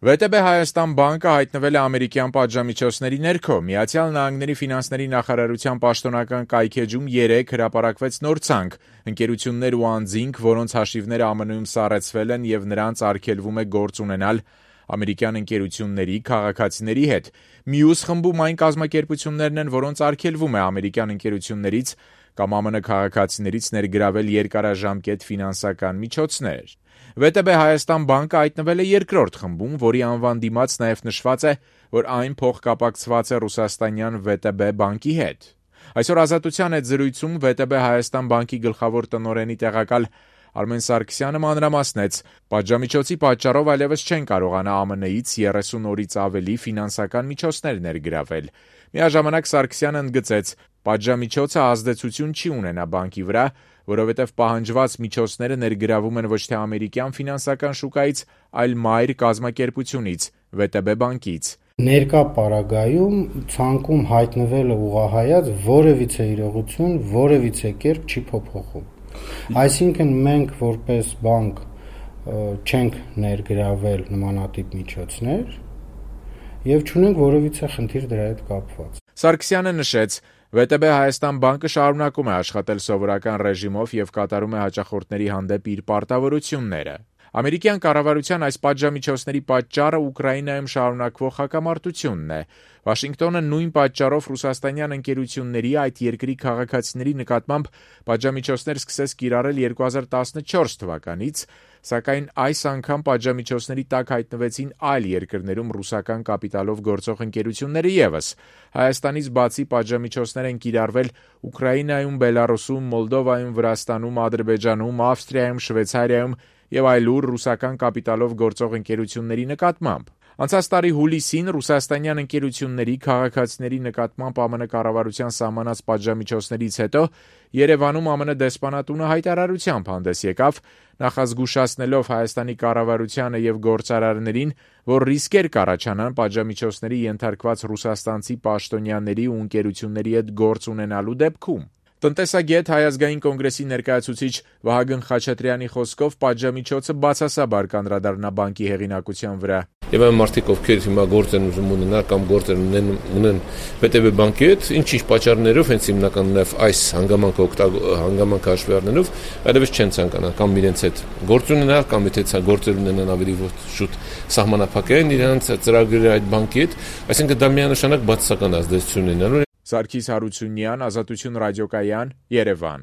ՎՏԲ Հայաստան բանկը հայտնվել է ամերիկյան պատժամիջոցների ներքո։ Միացյալ Նահանգների ֆինանսների նախարարության պաշտոնական կայքէջում 3 հրապարակվեց նոր ցանկ։ Ընկերություններ ու անձինք, որոնց հաշիվները ԱՄՆ-ում սառեցվել են եւ նրանց արգելվում է գործ ունենալ ամերիկյան ընկերությունների, քաղաքացիների հետ։ Մյուս խմբում այն կազմակերպություններն են, որոնց արգելվում է ամերիկյան ընկերություններից կամ ԱՄՆ քաղաքացիներից ներգրավել երկարաժամկետ ֆինանսական միջոցներ։ ՎՏԲ Հայաստան բանկը հայտնվել է երկրորդ խմբում, որի անվան դիմաց նաև նշված է, որ այն փոխկապակցված է ռուսաստանյան ՎՏԲ բանկի հետ։ Այսօր Ազատության հետ զրույցում ՎՏԲ Հայաստան բանկի գլխավոր տնօրենի տեղակալ Արմեն Սարգսյանը մանրամասնեց, պատժամիջոցի պատճառով այլևս չեն կարողանա ԱՄՆ-ից 30 օրից ավելի ֆինանսական միջոցներ ներգրավել։ Միաժամանակ Սարգսյանը ընդգծեց, պատժամիջոցը ազդեցություն չի ունենա բանկի վրա, որովհետև պահանջված միջոցները ներգրավում են ոչ թե ամերիկյան ֆինանսական շուկայից, այլ մայր կազմակերպությունից՝ ՎՏԲ բանկից։ Ներկա պարագայում ցանկում հայտնվելը ուղղահայաց որևիցե իրողություն, որևիցե կերպ չի փոփոխում։ Այսինքն մենք որպես բանկ չենք ներգրավել նմանատիպ միջոցներ եւ չունենք որևիցե խնդիր դրա հետ կապված։ Սարգսյանը նշեց, ՎՏԲ Հայաստան բանկը շարունակում է աշխատել սովորական ռեժիմով եւ կատարում է հաճախորդների հանդեպ իր պարտավորությունները։ Ամերիկյան կառավարության այս պատժամիջոցների պատճառը Ուկրաինայում շարունակվող հակամարտությունն է։ Վաշինգտոնը նույն պատճառով ռուսաստանյան ընկերությունների այդ երկրի քաղաքացիների նկատմամբ պատժամիջոցներ սկսեց կիրառել 2014 թվականից, սակայն այս անգամ պատժամիջոցների տակ հայտնվեցին այլ երկրներում ռուսական կապիտալով գործող ընկերությունները ևս։ Հայաստանից բացի պատժամիջոցներ են կիրառվել Ուկրաինայում, Բելարուսում, Մոլդովայում, Վրաստանում, Ադրբեջանում, Ավստրիայում, Շվեյցարիայում եւ այլուր ռուսական կապիտալով գործող ընկերությունների նկատմամբ։ Անցած տարի հուլիսին ռուսաստանյան ընկերությունների քաղաքացիների նկատմամբ ԱՄՆ կառավարության սահմանած պատժամիջոցներից հետո Երևանում ԱՄՆ դեսպանատունը հայտարարությամբ հանդես եկավ, նախազգուշացնելով Հայաստանի կառավարությանը եւ գործարարներին, որ ռիսկեր կառաջանան պատժամիջոցների ենթարկված ռուսաստանցի պաշտոնյաների ու ընկերությունների հետ գործ ունենալու դեպքում։ Տնտեսագետ Հայ ազգային կոնգրեսի ներկայացուցիչ Վահագն Խաչատրյանի խոսքով պատժամիջոցը բացասաբար կանդրադառնա բանկի հեղինակության վրա։ Եվ այն մարդիկ, ովքեր հիմա գործ են ուզում ունենալ կամ գործ ունեն ՎՏԲ բանկի հետ, ինչ-ինչ պատճառներով, հենց հիմնական այս հանգամանքը հաշվի առնելով, այլևս չեն ցանկանա կամ իրենց հետ գործ ունենալ, կամ եթե գործեր ունենան ավելի շուտ սահմանափակեն իրենց ծրագրերը այդ բանկի հետ, այսինքն դա միանշանակ բացասական ազդեցություն ունենալու։ Սարգիս Հարությունյան, Ազատություն ռադիոկայան, Երևան։